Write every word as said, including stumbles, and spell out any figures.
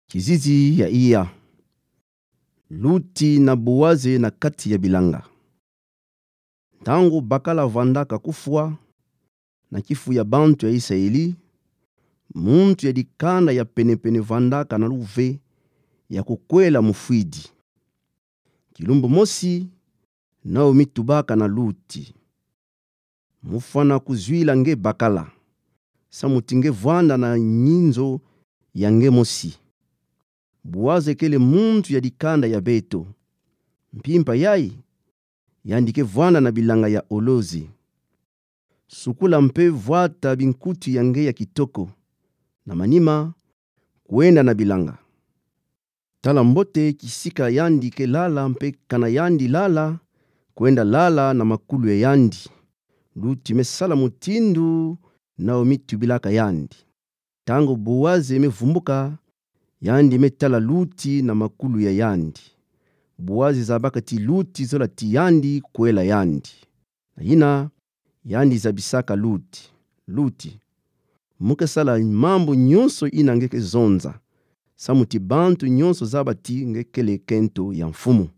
Kizizi ya iya. Luti na Boaze na kati ya bilanga. Ntangu bakala vandaka kufwa na kifu ya bantu ya Isayeli, muntu ya dikanda ya penepene vandaka na luve ya kukwela mufwidi. Kilumbu mosi, Naomi tubaka na Luti: Mufwana kuzwila nge bakala, samuti nge vwanda na nyinzo ya nge mosi. Boaze kele muntu ya dikanda ya beto. Mpimpa yayi, yandi ke vwanda na bilanga ya olozi. Sukula mpe vwata binkuti ya nge ya kitoko. Na manima, kwenda na bilanga. Tala mbote kisika yandi ke lala mpe kana yandi lala, kwenda lala na makulu ya yandi. Luti me sala mutindu Naomi tubilaka yandi. Ntangu Boaze me vumbuka, yandi me tala Luti na makulu ya yandi. Boaze zabaka ti Luti zola ti yandi kwela yandi. Na yina, yandi zabisaka Luti: Luti, mu ke sala mambu nyonso yina nge ke zonza, samuti bantu nyonso zaba ti nge kele kento ya mfumu.